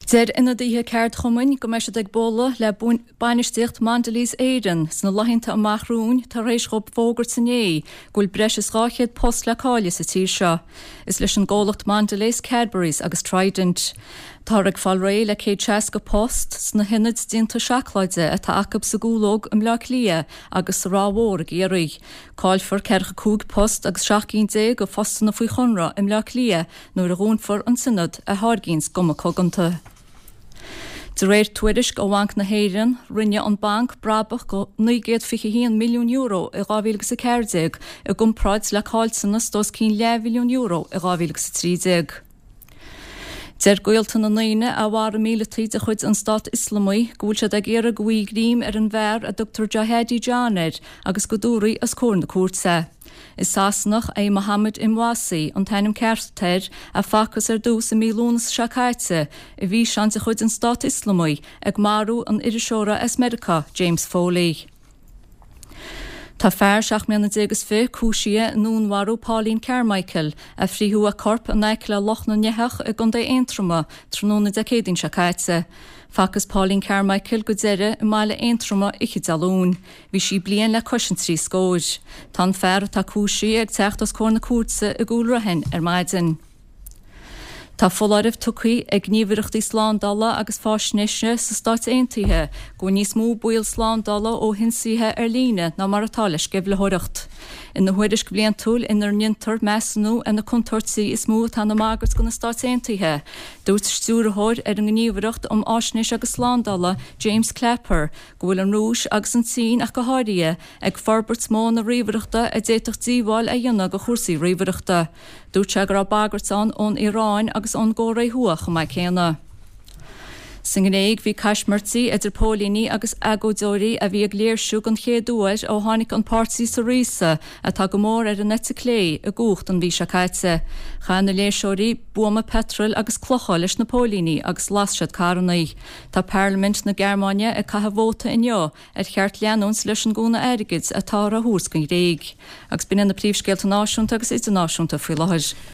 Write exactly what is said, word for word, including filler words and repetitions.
Deir ionadaithe ceardchumainn go mbeidh siad ag bualadh le bainistíocht Mondelez Éireann sna laethanta amach romhainn tar éis dóibh fógairt inné go bhfuil breis is dhá chéad post le cailleadh sa tír seo. Is leis an gcomhlacht Mondelez, Cadbury's agus Trident. Táthar ag fáil réidh le céad seasca post sna hionaid déanta seacláide atá acu sa gCúlóg i mBleá Cliath agus sa Ráth Mhór i gCiarraí. Caillfear ceathracha cúig post agus seacht gcinn déag de phostanna faoi chonradh i mBleá Cliath nuair a dhúnfar an t-ionad a tháirgíonn guma coganta. De réir tuairisc ó Bhanc na hÉireann, rinne an banc brabach de naoi gcéad fiche haon milliún euro i dhá mhíle agus a ceathair déag i gcomparáid le caillteanas d'os cionn leathbhilliún euro i dhá mhíle agus a trí déag. Deir gaolta na ndaoine a mharaigh míleataigh de chuid an Stát Ioslamaigh go bhfuil siad ag iarraidh go bhfaighfí greim ar an bhfear a dtugtar Jihadi John air agus go dtabharfaí os comhair na cúirte é. Is Sasanach é Mohammed Emwazi, an t-ainm ceart air, a facthas ar dtús i mí Lúnasa seo caite i bhfíseán de chuid an Stát Ioslamaigh ag marú an iriseora as Meiriceá, James Foley. Tá fear seacht mbliana déag is fiche cúisithe i ndúnmharú Pauline Carmichael, a frítheadh a corp in aice le Loch na nEitheach i gContae Aontroma tráthnóna Dé Céadaoin seo caite. Facthas Pauline Carmichael go deireadh i mbaile Aontroma oíche Dé Luain. Bhí sí bliain le cois an trí scóir. Tá an fear atá cúisithe ag teacht os comhair na cúirte i gCúil Raithin ar maidin. Tá foláireamh tugtha ag gníomhaireachtaí slándála agus faisnéise sna Stáit Aontaithe go bhfuil níos mó baol slándála ó hionsaithe ar líne ná mar atá le sceimhlitheoireacht. Ina thuairisc bhliantúil inar ndéantar measúnú ar na contúirtí is mó atá ina mbagairt do na Stáit Aontaithe, dúirt stiúrthóir ar an nGníomhaireacht um Fhaisnéis agus Slándála, James Clapper, go bhfuil an Rúis agus an tSín ach go háirithe ag forbairt modhanna ríomhaireachta a d'fhéadfadh díobháil a dhéanamh do chúrsaí ríomhaireachta. Dúirt sé go raibh bagairt ann ón Iaráin agus ón gCóiré Thuaidh chomh maith céanna. Sa nGréig bhí caismirtí idir póilíní agus agóideoirí a bhí ag léirsiú den chéad uair ó tháinig an páirtí Syriza, atá go mór ar an eite clé, i gcumhacht an mhí seo caite. Chaith na léirseoirí buama peitril agus clocha leis na póilíní agus las siad carranna. Tá Parlaimint na Gearmáine ag caitheamh vóta inniu ar cheart leanúint leis an gcúnamh airgid atáthar a thabhairt don Ghréig. Agus b'in iad na príomhscéalta náisiúnta agus idirnáisiúnta faoi láthair.